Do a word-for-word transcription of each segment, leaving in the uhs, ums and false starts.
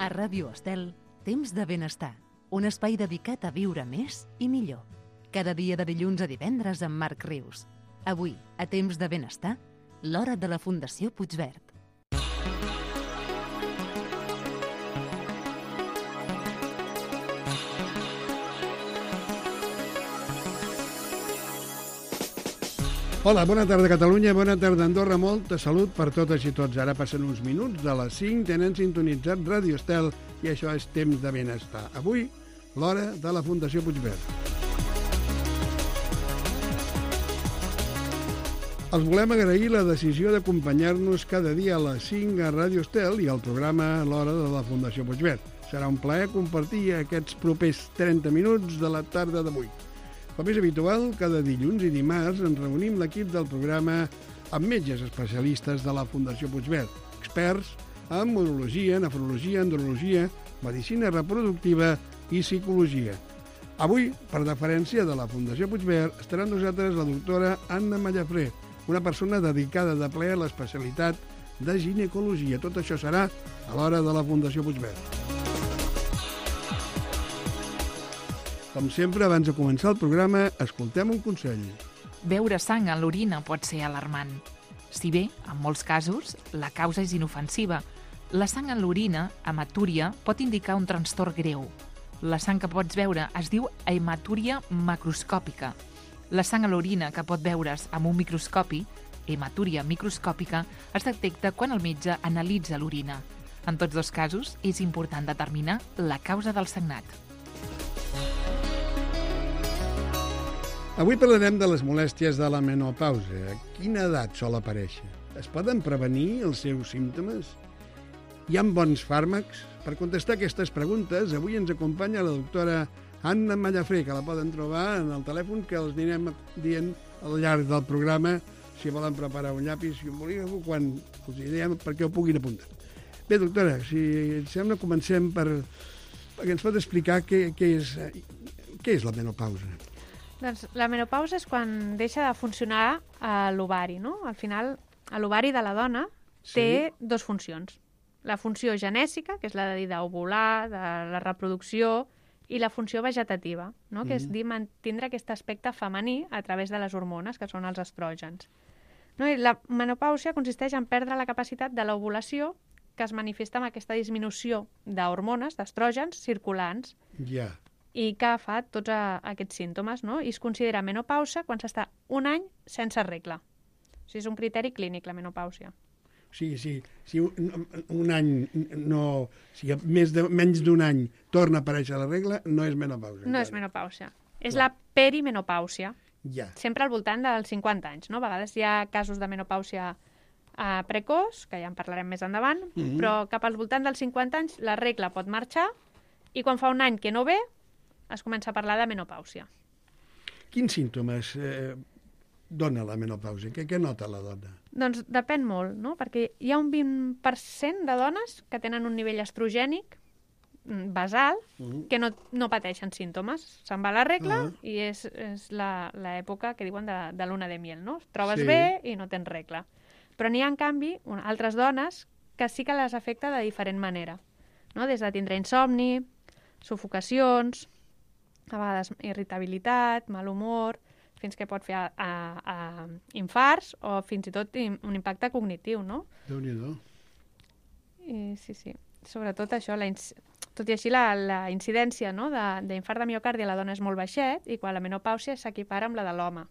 A Ràdio Estel, Temps de Benestar, un espai dedicat a viure més i millor. Cada dia de dilluns a divendres amb Marc Rius. Avui, a Temps de Benestar, l'hora de la Fundació Puigverd. Hola, bona tarda Catalunya, bona tarda Andorra, molta salut per totes i tots. Ara passen uns minuts de les cinc, tenen sintonitzat Ràdio Estel i això és Temps de Benestar. Avui, l'hora de la Fundació Puigverd. Els volem agrair la decisió d'acompanyar-nos cada dia a les cinc a Ràdio Estel i al programa L'hora de la Fundació Puigverd. Serà un plaer compartir aquests propers trenta minuts de la tarda d'avui. Com és habitual, cada dilluns i dimarts ens reunim l'equip del programa amb metges especialistes de la Fundació Puigverd, experts en urologia, nefrologia, andrologia, medicina reproductiva i psicologia. Avui, per deferència de la Fundació Puigverd, estarà amb nosaltres la doctora Anna Mallafré, una persona dedicada de ple a l'especialitat de ginecologia. Tot això serà a l'hora de la Fundació Puigverd. Com sempre, abans de començar el programa, escoltem un consell. Beure sang en l'orina pot ser alarmant. Si bé, en molts casos, la causa és inofensiva, la sang en l'orina, hematúria, pot indicar un trastorn greu. La sang que pots veure es diu hematúria macroscòpica. La sang a l'orina que pot veure's amb un microscopi, hematúria microscòpica, es detecta quan el metge analitza l'orina. En tots dos casos, és important determinar la causa del sagnat. Avui parlarem de les molèsties de la menopausa. A quina edat sol aparèixer? Es poden prevenir els seus símptomes? Hi ha bons fàrmacs? Per contestar aquestes preguntes, avui ens acompanya la doctora Anna Mallafré, que la poden trobar en el telèfon que els anirem dient al llarg del programa, si volen preparar un llapis i un bolígraf, quan els diem perquè ho puguin apuntar. Bé, doctora, si et sembla, comencem per... perquè ens pot explicar què, què, és, què és la menopausa. Doncs la menopausa és quan deixa de funcionar a l'ovari, no? Al final, l'ovari de la dona sí. té dues funcions. La funció genèsica, que és la de d'ovular, de la reproducció, i la funció vegetativa, no? que és dir, mantindre aquest aspecte femení a través de les hormones, que són els estrògens. No? I la menopausia consisteix en perdre la capacitat de l'ovulació, que es manifesta amb aquesta disminució d'hormones, d'estrògens circulants. Ja. Yeah. I que fa tots a, aquests símptomes, no? I es considera menopausa quan s'està un any sense regla. O sigui, és un criteri clínic, la menopàusia. Sí, sí. Si un, un any, no, si més de, menys d'un any torna a aparèixer la regla, no és menopàusia. No és menopàusia. És la perimenopàusia. Ja. Sempre al voltant dels cinquanta anys, no? A vegades hi ha casos de menopàusia eh, precoç, que ja en parlarem més endavant, mm-hmm. però cap al voltant dels cinquanta anys la regla pot marxar i quan fa un any que no ve, es comença a parlar de menopàusia. Quins símptomes eh, dona la menopàusia? Què, què nota la dona? Doncs depèn molt, no? Perquè hi ha un vint per cent de dones que tenen un nivell estrogènic basal uh-huh. que no, no pateixen símptomes. Se'n va la regla uh-huh. i és, és l'època que diuen de, de luna de miel, no? Et trobes sí. bé i no tens regla. Però n'hi ha, en canvi, un, altres dones que sí que les afecta de diferent manera, no? Des de tindre insomni, sufocacions, a vegades irritabilitat, mal humor, fins que pot fer a, a, a infarts o fins i tot un impacte cognitiu, no? Déu-n'hi-do. I sí, sí. Sobretot això, la tot i així la, la incidència no? d'infart de, de miocardi a la dona és molt baixet i quan la menopàusia s'equipara amb la de l'home.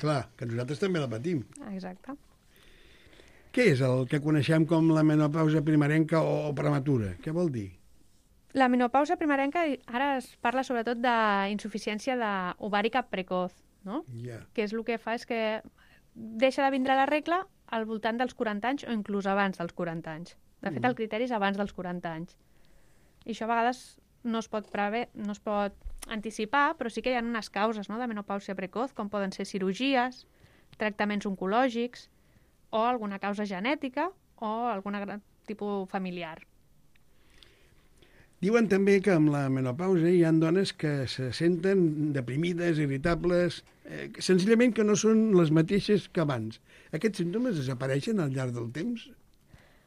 Clar, que nosaltres també la patim. Exacte. Què és el que coneixem com la menopausa primerenca o prematura? Què vol dir? La menopausa primerenca, ara es parla sobretot d'insuficiència ovàrica precoç, no? Yeah. Que és el que fa és que deixa de vindre la regla al voltant dels quaranta anys o inclús abans dels quaranta anys. De fet, mm. el criteri és abans dels quaranta anys. I això a vegades no es pot prever, no es pot anticipar, però sí que hi ha unes causes no, de menopàusia precoç, com poden ser cirurgies, tractaments oncològics o alguna causa genètica o algun tipus familiar. Diuen també que amb la menopausa hi ha dones que se senten deprimides, irritables, eh, senzillament que no són les mateixes que abans. Aquests símptomes desapareixen al llarg del temps?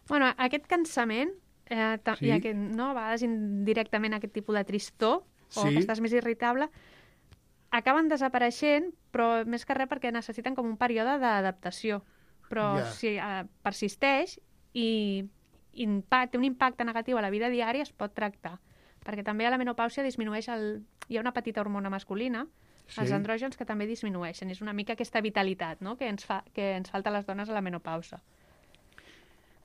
Bueno, aquest cansament eh, ta- Sí. i aquest, no, a vegades indirectament aquest tipus de tristor, o Sí. que estàs més irritable, acaben desapareixent, però més que res perquè necessiten com un període d'adaptació. Però Ja. si eh, persisteix i impa- té un impacte negatiu a la vida diària, es pot tractar. Perquè també a la menopàusia disminueix el... Hi ha una petita hormona masculina, Sí. els andrògens, que també disminueixen. És una mica aquesta vitalitat, no?, que ens, fa, que ens falta a les dones a la menopausa.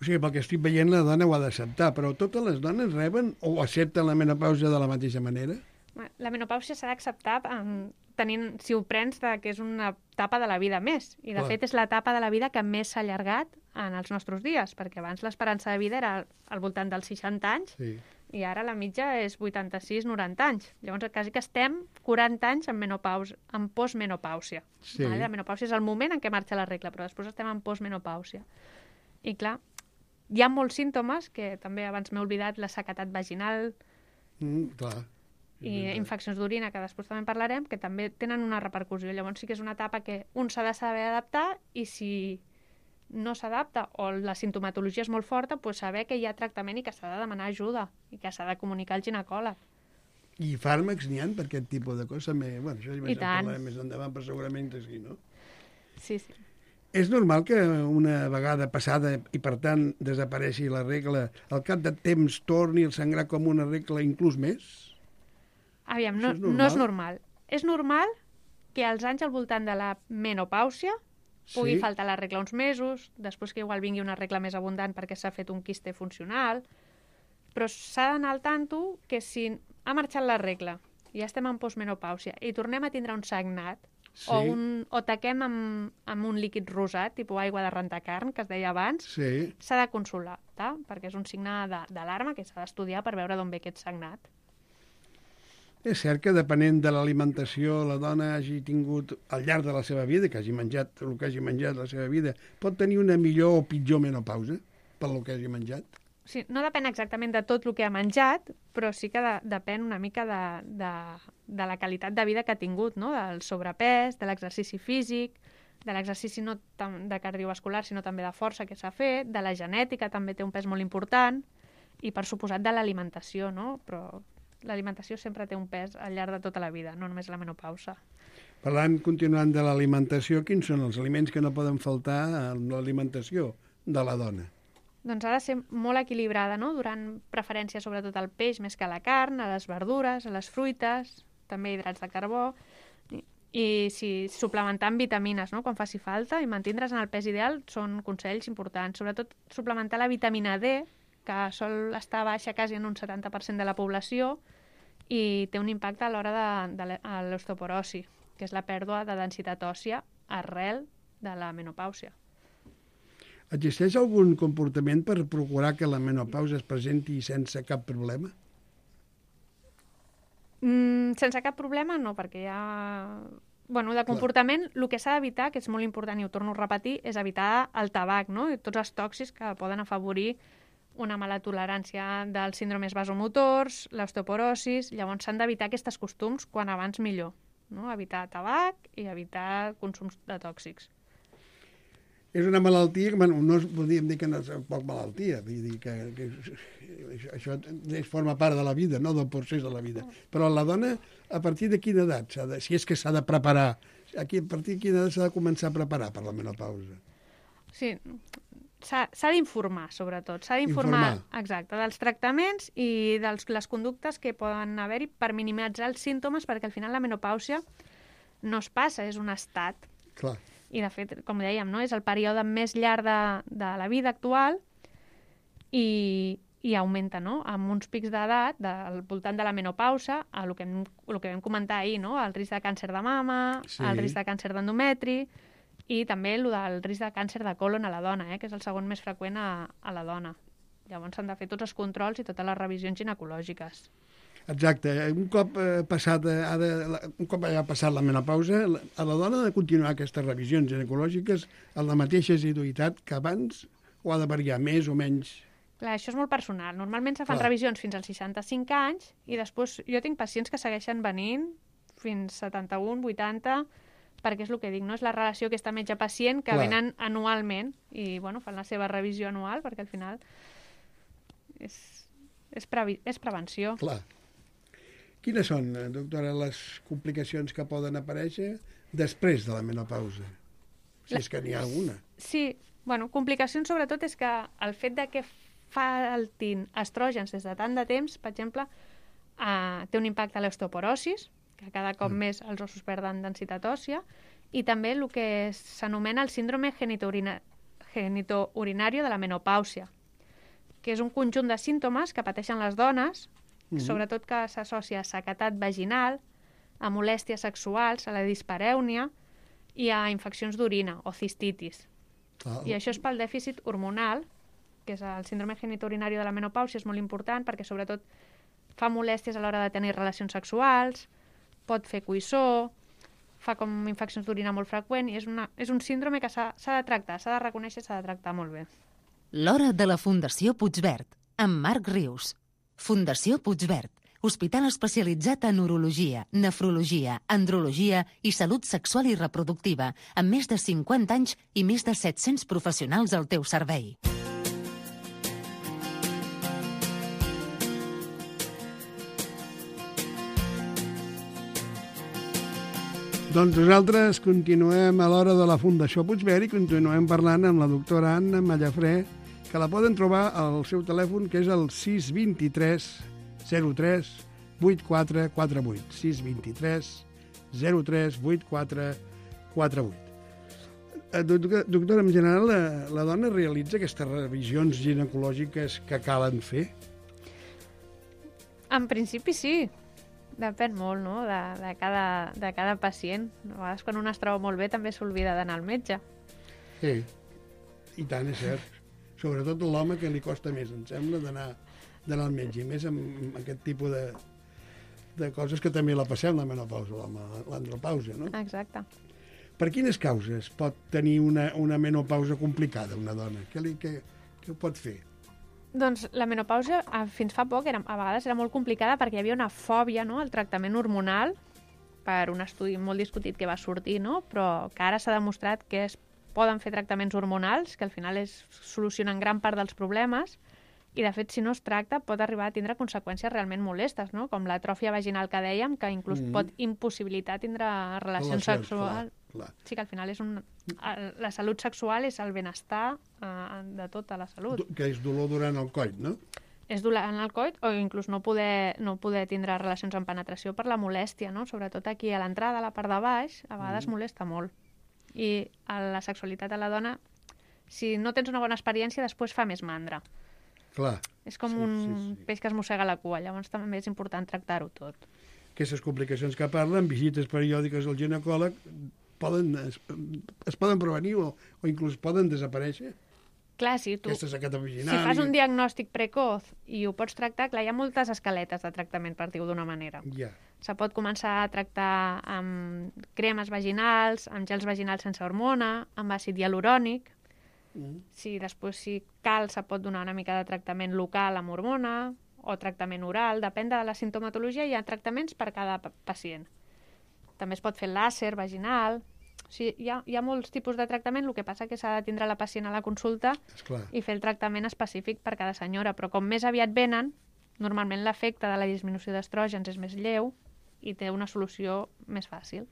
O sigui, pel que estic veient, la dona ho ha d'acceptar, però totes les dones reben o accepten la menopausa de la mateixa manera? La menopàusia s'ha d'acceptar um, tenint, si ho prens, de, que és una etapa de la vida més. I, de Clar. fet, és l'etapa de la vida que més s'ha allargat en els nostres dies, perquè abans l'esperança de vida era al voltant dels seixanta anys, Sí. i ara la mitja és vuitanta-sis noranta anys. Llavors, quasi que estem quaranta anys en menopausa, en postmenopàusia. Sí. Vale? La menopàusia és el moment en què marxa la regla, però després estem en postmenopàusia. I, clar, hi ha molts símptomes, que també abans m'he oblidat, la sequedat vaginal, Mm, clar. i infeccions d'orina, que després també en parlarem, que també tenen una repercussió. Llavors sí que és una etapa que un s'ha de saber adaptar, i si no s'adapta o la sintomatologia és molt forta, doncs saber que hi ha tractament i que s'ha de demanar ajuda i que s'ha de comunicar al ginecòleg. I fàrmacs n'hi ha per aquest tipus de coses? També, bueno, això ja I tant. parlarem més endavant, però segurament és sí, no? Sí, sí. És normal que una vegada passada i, per tant, desapareixi la regla, al cap de temps torni a sangrar com una regla inclús més? Aviam, no, Això és normal? no és normal. És normal que als anys al voltant de la menopàusia pugui Sí? faltar la regla uns mesos, després que igual vingui una regla més abundant perquè s'ha fet un quiste funcional, però s'ha d'anar al tanto que si ha marxat la regla i ja estem en postmenopàusia i tornem a tindre un sagnat, Sí. o, un, o taquem amb, amb un líquid rosat, tipus aigua de rentar carn, que es deia abans, Sí. s'ha de consolar, tá? Perquè és un signe de- d'alarma que s'ha d'estudiar per veure d'on ve aquest sagnat. És cert que depenent de l'alimentació la dona hagi tingut al llarg de la seva vida, que hagi menjat el que hagi menjat la seva vida, pot tenir una millor o pitjor menopausa per lo que hagi menjat? O sigui, no depèn exactament de tot el que ha menjat, però sí que de, depèn una mica de, de, de la qualitat de vida que ha tingut, no? Del sobrepès, de l'exercici físic, de l'exercici no tam de cardiovascular, sinó també de força que s'ha fet, de la genètica també té un pes molt important, i per suposat de l'alimentació, no? Però l'alimentació sempre té un pes al llarg de tota la vida, no només la menopausa. Parlant, continuant de l'alimentació, quins són els aliments que no poden faltar en l'alimentació de la dona? Doncs ha de ser molt equilibrada, no? Donant preferència sobretot al peix més que a la carn, a les verdures, a les fruites, també hidrats de carbó, i, i si suplementar amb vitamines, no?, quan faci falta, i mantindre's en el pes ideal són consells importants. Sobretot suplementar la vitamina D, que sol estar baixa quasi en un setanta per cent de la població i té un impacte a l'hora de, de l'osteoporosi, que és la pèrdua de densitat òssia arrel de la menopàusia. Existeix algun comportament per procurar que la menopausa es presenti sense cap problema? Mm, sense cap problema, no, perquè ja... Bueno, de comportament, el que s'ha d'evitar, que és molt important i ho torno a repetir, és evitar el tabac, no? I tots els tòxics que poden afavorir una mala tolerància dels síndromes vasomotors, l'osteoporosis. Llavors s'han d'evitar aquests costums quan abans millor, no? Evitar tabac i evitar consums de tòxics. És una malaltia que, bueno, no podríem dir que no és poc malaltia, vull dir que, que això, això forma part de la vida, no del procés de la vida. Però la dona, a partir de quina edat, de, si és que s'ha de preparar, aquí, a partir de quina edat s'ha de començar a preparar per la menopausa? Sí, s'ha d'informar, sobretot. S'ha d'informar, exacte, dels tractaments i de les conductes que poden haver-hi per minimitzar els símptomes, perquè al final la menopàusia no es passa, és un estat. Clar. I, de fet, com dèiem, no? És el període més llarg de, de la vida actual i, i augmenta, no? Amb uns pics d'edat, al voltant de la menopausa, a el que, hem, el que vam comentar ahir, no? El risc de càncer de mama, sí. El risc de càncer d'endometri i també el del risc de càncer de colon a la dona, eh? Que és el segon més freqüent a, a la dona. Llavors s'han de fer tots els controls i totes les revisions ginecològiques. Exacte. Un cop eh, passat, eh, ha de, un cop ha passat la menopausa, a la dona ha de continuar aquestes revisions ginecològiques amb la mateixa assiduïtat que abans o ha de variar més o menys? Clar, això és molt personal. Normalment se fan Clar. revisions fins als seixanta-cinc anys i després jo tinc pacients que segueixen venint fins setanta-un, vuitanta, perquè és el que dic, no? És la relació aquesta metge-pacient que Clar. venen anualment i, bueno, fan la seva revisió anual perquè al final és, és, previ, és prevenció. Clar. Quines són, doctora, les complicacions que poden aparèixer després de la menopausa? Si és que n'hi ha alguna. Sí, bueno, complicacions sobretot és que el fet de que faltin estrògens des de tant de temps, per exemple, eh, té un impacte a l'osteoporosis, que cada cop mm. més els ossos perden densitat òssia, i també el que s'anomena el síndrome genitourina, genitourinari de la menopàusia, que és un conjunt de símptomes que pateixen les dones, mm-hmm. sobretot que s'associa a sequedat vaginal, a molèsties sexuals, a la disparèunia i a infeccions d'orina o cistitis. Ah. I això és pel dèficit hormonal, que és el síndrome genitourinari de la menopàusia, és molt important perquè sobretot fa molèsties a l'hora de tenir relacions sexuals, pot fer coïssor, fa com infeccions d'orina molt freqüent i és, una, és un síndrome que s'ha de tractar, s'ha de reconèixer, s'ha de tractar molt bé. L'hora de la Fundació Puigverd, amb Marc Rius. Fundació Puigverd, hospital especialitzat en urologia, nefrologia, andrologia i salut sexual i reproductiva, amb més de cinquanta anys i més de set-cents professionals al teu servei. Doncs nosaltres continuem a l'hora de la Fundació Puigverd i continuem parlant amb la doctora Anna Mallafrè, que la poden trobar al seu telèfon, que és el sis dos tres zero tres vuit quatre quatre vuit. sis dos tres zero tres vuit quatre quatre vuit. Doctora, en general, la, la dona realitza aquestes revisions ginecològiques que calen fer? En principi sí. Depèn molt, no?, de, de, cada, de cada pacient. A vegades quan un es troba molt bé també s'oblida d'anar al metge. Sí, i tant, és cert. Sobretot l'home que li costa més, em sembla, d'anar d'anar al metge, i més amb aquest tipus de, de coses que també la passem, la menopausa, l'andropausa, no? Exacte. Per quines causes pot tenir una, una menopausa complicada una dona? Què, li, què, què ho pot fer? Doncs la menopausa fins fa poc era, a vegades era molt complicada perquè hi havia una fòbia, no?, al tractament hormonal, per un estudi molt discutit que va sortir, no?, però que ara s'ha demostrat que es poden fer tractaments hormonals, que al final es solucionen gran part dels problemes, i de fet si no es tracta pot arribar a tindre conseqüències realment molestes, no?, com l'atròfia vaginal que dèiem, que inclús mm-hmm. pot impossibilitar tindre relacions sexuals. Clar. Sí, que al final és un... la salut sexual és el benestar eh, de tota la salut. Que és dolor durant el coit, no? És dolor en el coit o inclús no poder, no poder tindre relacions amb penetració per la molèstia, no? Sobretot aquí a l'entrada, a la part de baix, a vegades mm. molesta molt. I a la sexualitat a la dona, si no tens una bona experiència, després fa més mandra. Clar. És com sí, un sí, sí. peix que es mossega la cua, llavors també és important tractar-ho tot. Aquestes complicacions que parlen, visites periòdiques al ginecòleg, poden, es, es poden prevenir o, o inclús poden desaparèixer? Clar, si tu si fas un diagnòstic precoç i ho pots tractar, clar, hi ha moltes escaletes de tractament, per dir-ho d'una manera. Yeah. Se pot començar a tractar amb cremes vaginals, amb gels vaginals sense hormona, amb àcid hialurònic. Mm. Si després, si cal, se pot donar una mica de tractament local amb hormona o tractament oral, depèn de la sintomatologia, hi ha tractaments per cada pacient. També es pot fer làser vaginal. O sigui, hi ha, hi ha molts tipus de tractament, el que passa que s'ha de tindre la pacient a la consulta i fer el tractament específic per cada senyora, però com més aviat venen, normalment l'efecte de la disminució d'estrògens és més lleu i té una solució més fàcil.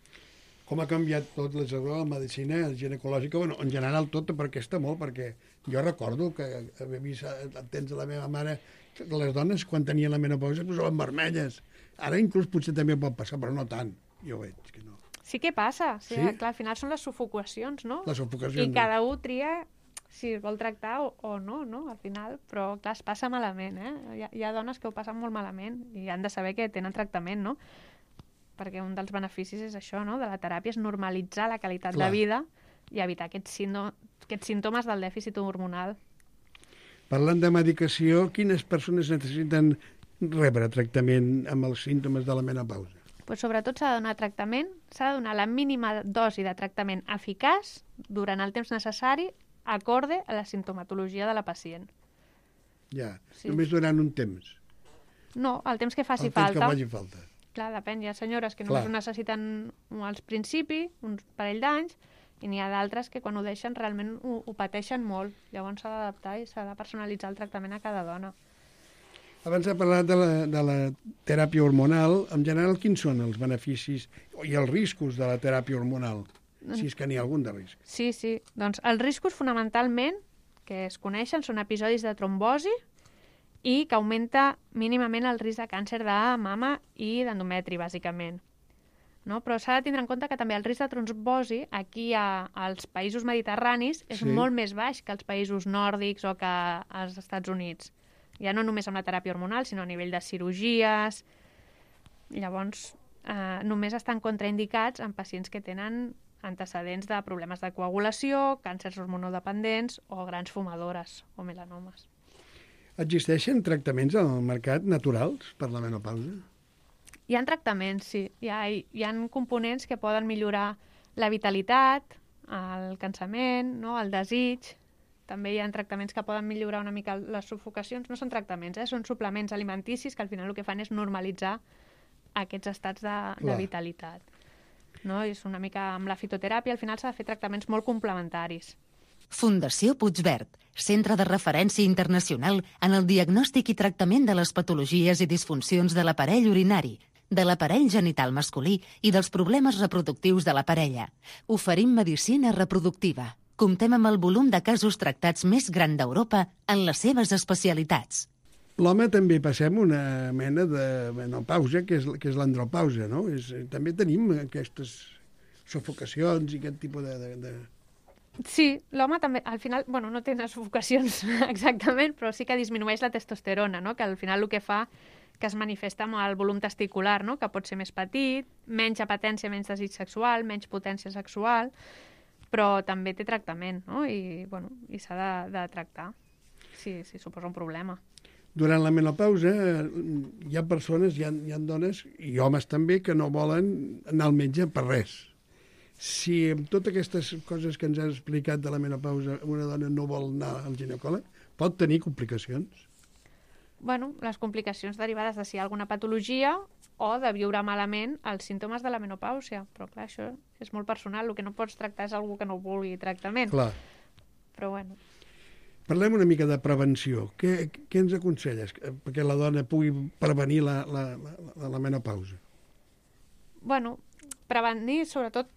Com ha canviat tot la medicina ginecològica, bueno, en general tot, perquè està molt, perquè jo recordo que havia vist el temps de la meva mare, que les dones quan tenien la menopausa es posaven vermelles. Ara inclús potser també pot passar, però no tant. Jo veig que no. Sí que passa. Sí, sí? Clar, al final són les sufocacions, no? Les sufocacions. I cada un tria si es vol tractar o, o no, no? Al final, però clar, es passa malament, eh? Hi ha, hi ha dones que ho passen molt malament i han de saber que tenen tractament, no? Perquè un dels beneficis és això, no?, de la teràpia, és normalitzar la qualitat clar. de vida i evitar aquests, síndom aquests símptomes del dèficit hormonal. Parlant de medicació, quines persones necessiten rebre tractament amb els símptomes de la menopausa? Pues sobretot s'ha de donar tractament, s'ha de donar la mínima dosi de tractament eficaç durant el temps necessari, acorde a la sintomatologia de la pacient. Ja, sí. Només durant un temps? No, el temps que faci el temps falta. que faci falta. Clar, depèn. Hi ha senyores que només Clar. ho necessiten al principi, un parell d'anys, i n'hi ha d'altres que quan ho deixen realment ho, ho pateixen molt. Llavors s'ha d'adaptar i s'ha de personalitzar el tractament a cada dona. Abans ha parlat de la, de la teràpia hormonal. En general, quins són els beneficis i els riscos de la teràpia hormonal? Si és que n'hi ha algun de risc. Sí, sí. Doncs els riscos, fonamentalment, que es coneixen, són episodis de trombosi i que augmenta mínimament el risc de càncer de mama i d'endometri, bàsicament. No? Però s'ha de tindre en compte que també el risc de trombosi aquí a, als països mediterranis és Sí. molt més baix que als països nòrdics o que als Estats Units. Ja no només amb la teràpia hormonal, sinó a nivell de cirurgies. Llavors, eh, només estan contraindicats en pacients que tenen antecedents de problemes de coagulació, càncers hormonodependents o grans fumadores o melanomes. Existeixen tractaments al mercat naturals per la menopausa? Hi ha tractaments, sí. Hi ha, hi ha components que poden millorar la vitalitat, el cansament, no? El desig. També hi ha tractaments que poden millorar una mica les sufocacions. No són tractaments, eh? Són suplements alimenticis que al final el que fan és normalitzar aquests estats de, de vitalitat. No? És una mica amb la fitoteràpia, al final s'ha de fer tractaments molt complementaris. Fundació Puigverd, centre de referència internacional en el diagnòstic i tractament de les patologies i disfuncions de l'aparell urinari, de l'aparell genital masculí i dels problemes reproductius de la parella. Oferim medicina reproductiva. Comptem amb el volum de casos tractats més gran d'Europa en les seves especialitats. L'home també passem una mena de menopausa, que és, que és l'andropausa, no? És, també tenim aquestes sufocacions i aquest tipus de... de, de... Sí, l'home també, al final, bueno, no té unes sufocacions exactament, però sí que disminueix la testosterona, no? Que al final el que fa que es manifesta amb el volum testicular, no? Que pot ser més petit, menys apetència, menys desig sexual, menys potència sexual, però també té tractament, no? I, bueno, i s'ha de, de tractar, si, si suposa un problema. Durant la menopausa hi ha persones, hi ha, hi ha dones i homes també que no volen anar al metge per res. Si amb totes aquestes coses que ens has explicat de la menopausa una dona no vol anar al ginecòleg, pot tenir complicacions? Bueno, les complicacions derivades de si hi ha alguna patologia o de viure malament els símptomes de la menopàusia. Però clar, això és molt personal. El que no pots tractar és algú que no vulgui tractament. Clar. Però bueno. Parlem una mica de prevenció. Què, què ens aconselles perquè la dona pugui prevenir la, la, la, la menopausa? Bueno, prevenir sobretot,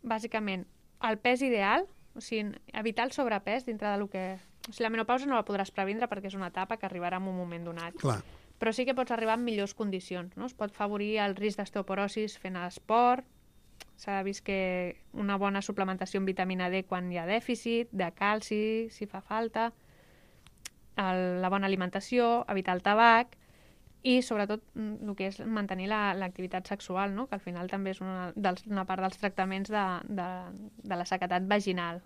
bàsicament, el pes ideal, o sigui, evitar el sobrepès dintre del que... O sigui, la menopausa no la podràs previndre perquè és una etapa que arribarà en un moment donat. Clar. Però sí que pots arribar en millors condicions, no? Es pot favorir el risc d'osteoporosis fent esport, s'ha vist que una bona suplementació amb vitamina D quan hi ha dèficit, de calci, si fa falta, el, la bona alimentació, evitar el tabac i, sobretot, el que és mantenir l'activitat la, sexual, no? Que al final també és una, dels, una part dels tractaments de, de, de la sequedat vaginal.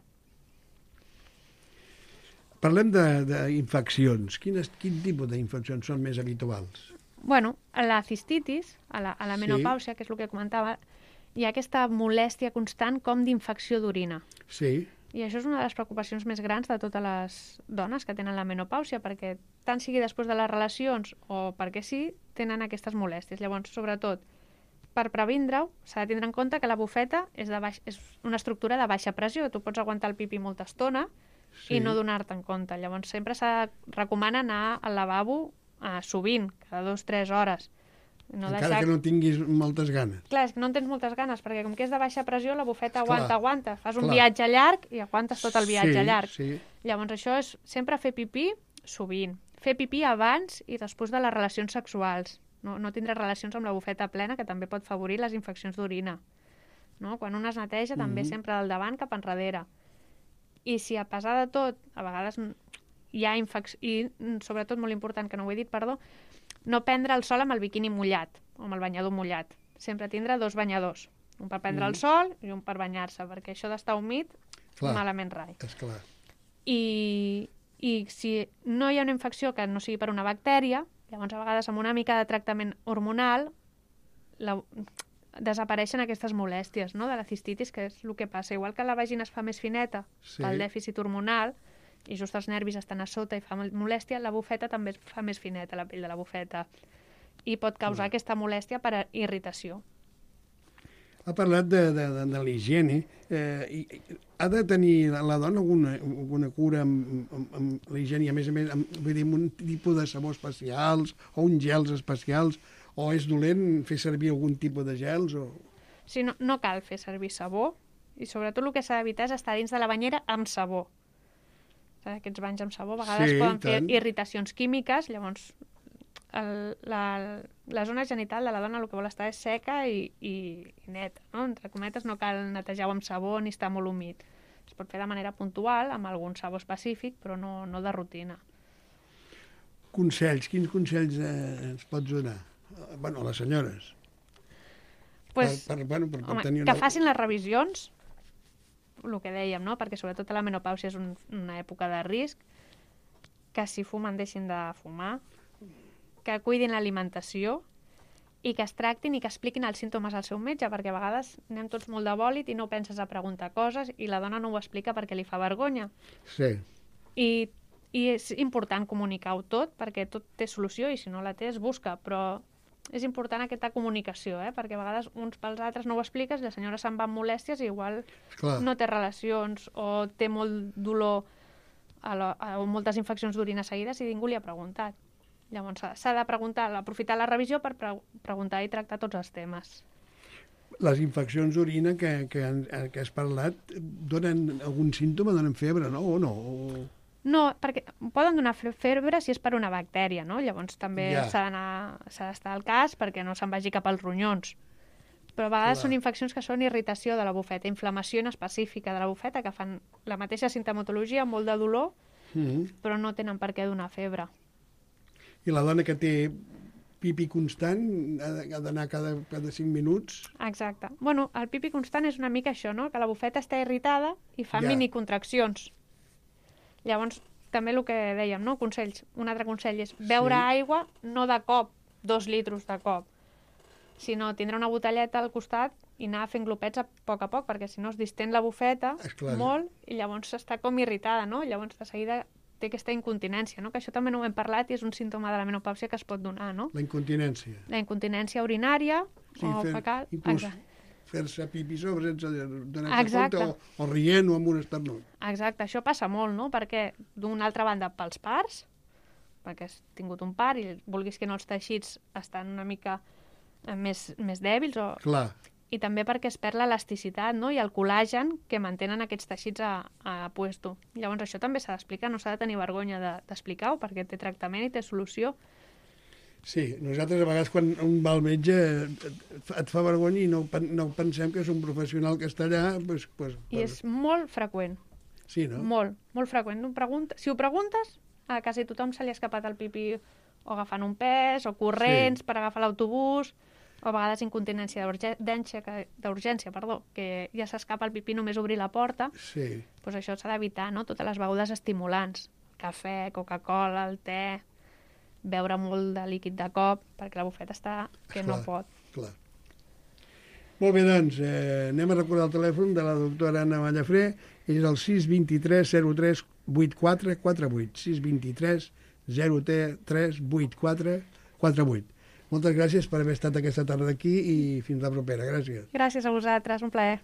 Parlem d'infeccions. Quin tipus d'infeccions són més habituals? Bueno, a la cistitis, a la, a la menopàusia, sí, que és el que comentava, hi ha aquesta molèstia constant com d'infecció d'orina. Sí. I això és una de les preocupacions més grans de totes les dones que tenen la menopàusia, perquè tant sigui després de les relacions o perquè sí, tenen aquestes molèsties. Llavors, sobretot, per previndre-ho, s'ha de tindre en compte que la bufeta és, de baix, és una estructura de baixa pressió. Tu pots aguantar el pipí molta estona, sí, i no donar-te en compte. Llavors, sempre s'ha recomana anar al lavabo eh, sovint, cada dues o tres hores. No Encara deixar... que no tinguis moltes ganes. Clar, és que no en tens moltes ganes, perquè com que és de baixa pressió, la bufeta aguanta, clar, aguanta. Fas un clar. viatge llarg i aguantes tot el viatge sí, llarg. Sí. Llavors, això és sempre fer pipí sovint. Fer pipí abans i després de les relacions sexuals. No, no tindre relacions amb la bufeta plena, que també pot favorir les infeccions d'orina. No? Quan un es neteja, mm-hmm, també sempre del davant cap enrere. I si a pesar de tot, a vegades hi ha infeccions, i sobretot molt important, que no ho he dit, perdó, no prendre el sol amb el biquini mullat, o amb el banyador mullat. Sempre tindre dos banyadors. Un per prendre mm. el sol i un per banyar-se, perquè això d'estar humit, clar, malament rai. És clar. I, I si no hi ha una infecció que no sigui per una bactèria, llavors a vegades amb una mica de tractament hormonal la, desapareixen aquestes molèsties, no?, de la cistitis, que és el que passa. Igual que la vagina es fa més fineta, sí, pel dèficit hormonal, i just els nervis estan a sota i fa molèstia, la bufeta també es fa més fineta, la pell de la bufeta, i pot causar mm. aquesta molèstia per irritació. Ha parlat de, de, de, de l'higiene. Eh, i, ha de tenir la dona alguna, alguna cura amb, amb, amb la higiene, a més a més, amb, vull dir, amb un tipus de sabó especials o uns gels especials, o és dolent fer servir algun tipus de gels? O... Sí, no, no cal fer servir sabó, i sobretot el que s'ha d'evitar és estar dins de la banyera amb sabó. Aquests banys amb sabó a vegades sí, poden fer tant. irritacions químiques, llavors el, la, la zona genital de la dona el que vol estar és seca i, i, i neta, no? Entre cometes, no cal netejar-ho amb sabó ni estar molt humit. Es pot fer de manera puntual, amb algun sabó específic, però no, no de rutina. Consells, quins consells eh, ens pots donar? Eh, bueno, a les senyores. Pues, per, per, bueno, per, per home, tenir que una... facin les revisions, el que dèiem, no? Perquè sobretot la menopàusia és un, una època de risc, que si fumen deixin de fumar, que cuidin l'alimentació i que es tractin i que expliquin els símptomes al seu metge, perquè a vegades anem tots molt de bòlit i no penses a preguntar coses i la dona no ho explica perquè li fa vergonya. Sí. I, i és important comunicar-ho tot, perquè tot té solució i si no la té es busca, però és important aquesta comunicació, eh? Perquè a vegades uns pels altres no ho expliques i la senyora se'n va amb molèsties i igual Clar. no té relacions o té molt dolor a la, a, o moltes infeccions d'orina seguides i ningú li ha preguntat. Llavors s'ha de preguntar, aprofitar la revisió per pre preguntar i tractar tots els temes. Les infeccions d'orina que, que, que has parlat donen algun símptoma, donen febre, no? O no? O... No, perquè poden donar febre si és per una bactèria, no? Llavors també Ja. s'ha d'anar, s'ha d'estar al cas perquè no se'n vagi cap als ronyons. Però a vegades Clar. són infeccions que són irritació de la bufeta, inflamació específica de la bufeta, que fan la mateixa sintomatologia, molt de dolor, Mm-hmm. però no tenen per què donar febre. I la dona que té pipi constant ha d'anar cada, cada cinc minuts? Exacte. Bueno, el pipi constant és una mica això, no? Que la bufeta està irritada i fa Ja. minicontraccions. Llavors, també el que dèiem, no? Consells. Un altre consell és beure Sí. aigua no de cop, dos litros de cop, sinó tindre una botelleta al costat i anar fent glopets a poc a poc, perquè si no es distén la bufeta Esclar. molt i llavors està com irritada, no? Llavors de seguida té aquesta incontinència, no? Que això també no ho hem parlat i és un símptoma de la menopàusia que es pot donar, no? La incontinència. La incontinència urinària Sí, o fer, fecal. inclús Exacte. fer-se pipi sobre sense donar-se Exacte. compte o, o rient o amb un esternut. Exacte, això passa molt, no? Perquè d'una altra banda pels parts, perquè has tingut un part i vulguis que no els teixits estan una mica eh, més, més dèbils o... Clar. I també perquè es perd l'elasticitat, no? I el col·lagen que mantenen aquests teixits a, a puesto. Llavors això també s'ha d'explicar, no s'ha de tenir vergonya d'explicar-ho de, perquè té tractament i té solució. Sí, nosaltres a vegades quan un va al metge et, et fa vergonya i no, no pensem que és un professional que està allà. Pues, pues, I és molt freqüent, Sí, no? molt, molt freqüent. No pregunta... Si ho preguntes, a quasi tothom se li ha escapat el pipí o agafant un pes, o corrents Sí. per agafar l'autobús, o a vegades incontinència d'urgència, que- d'urgència, perdó, que ja s'escapa el pipí només obrir la porta. Sí. Pues això s'ha d'evitar, no? Totes les begudes estimulants, cafè, Coca-Cola, el te, beure molt de líquid de cop, perquè la bufeta està que no Clar. pot. Clar. Molt bé, doncs, eh, anem a recordar el telèfon de la doctora Anna Mallafré, és el sis dos tres zero tres vuit quatre quatre vuit, sis dos tres zero tres vuit quatre quatre vuit. Moltes gràcies per haver estat aquesta tarda aquí i fins la propera. Gràcies. Gràcies a vosaltres, un plaer.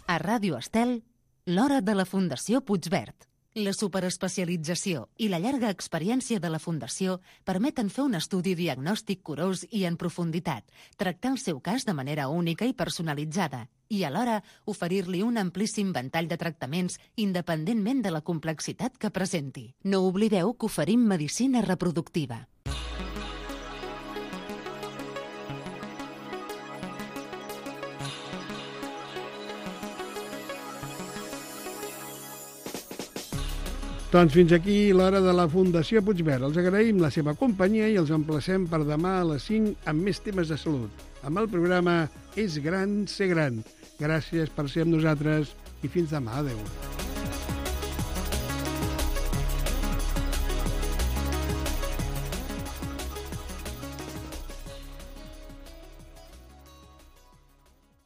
A Ràdio Estel, l'hora de la Fundació Puigverd. La superespecialització i la llarga experiència de la Fundació permeten fer un estudi diagnòstic curós i en profunditat, tractar el seu cas de manera única i personalitzada i alhora oferir-li un amplíssim ventall de tractaments independentment de la complexitat que presenti. No oblideu que oferim medicina reproductiva. Doncs fins aquí l'hora de la Fundació Puigverd. Els agraïm la seva companyia i els emplacem per demà a les cinc amb més temes de salut. Amb el programa És gran ser gran. Gràcies per ser amb nosaltres i fins demà. Adéu.